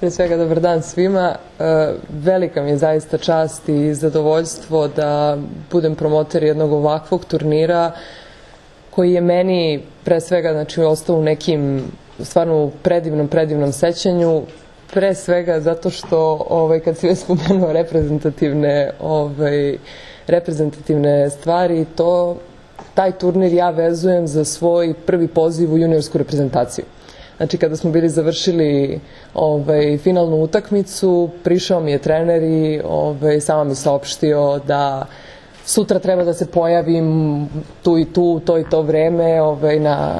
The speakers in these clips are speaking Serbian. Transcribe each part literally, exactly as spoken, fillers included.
Pre svega, dobar dan svima. Velika mi je zaista čast i zadovoljstvo da budem promoter jednog ovakvog turnira koji je meni pre svega znači, ostao u nekim stvarno predivnom, predivnom sećanju. Pre svega zato što ovaj, kad si već spomenuo reprezentativne, ovaj, reprezentativne stvari, to, taj turnir ja vezujem za svoj prvi poziv u juniorsku reprezentaciju. Znači, kada smo bili završili ovaj, finalnu utakmicu, prišao mi je trener i ovaj, samo mi saopštio da sutra treba da se pojavim tu i tu, to i to vreme ovaj, na,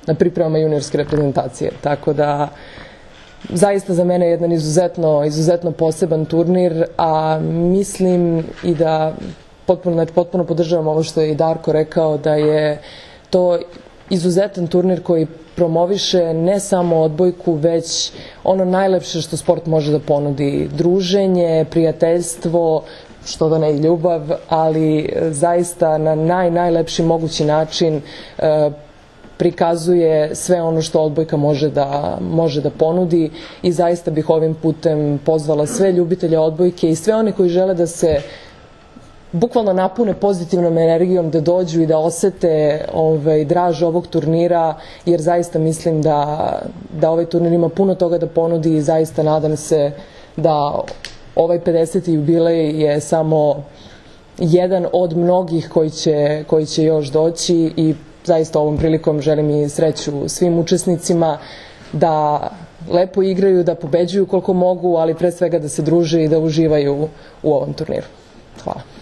na pripremama juniorske reprezentacije. Tako da, zaista za mene je jedan izuzetno, izuzetno poseban turnir, a mislim i da potpuno, znači, potpuno podržavam ovo što je i Darko rekao, da je to izuzetan turnir koji promoviše ne samo odbojku, već ono najlepše što sport može da ponudi. Druženje, prijateljstvo, što da ne i ljubav, ali zaista na naj, najlepši mogući način e, prikazuje sve ono što odbojka može da, može da ponudi i zaista bih ovim putem pozvala sve ljubitelje odbojke i sve one koji žele da se bukvalno napune pozitivnom energijom, da dođu i da osete ovaj, draž ovog turnira, jer zaista mislim da, da ovaj turnir ima puno toga da ponudi i zaista nadam se da ovaj pedeseti jubilej je samo jedan od mnogih koji će, koji će još doći i zaista ovom prilikom želim i sreću svim učesnicima da lepo igraju, da pobeđuju koliko mogu, ali pre svega da se druže i da uživaju u ovom turniru. Hvala.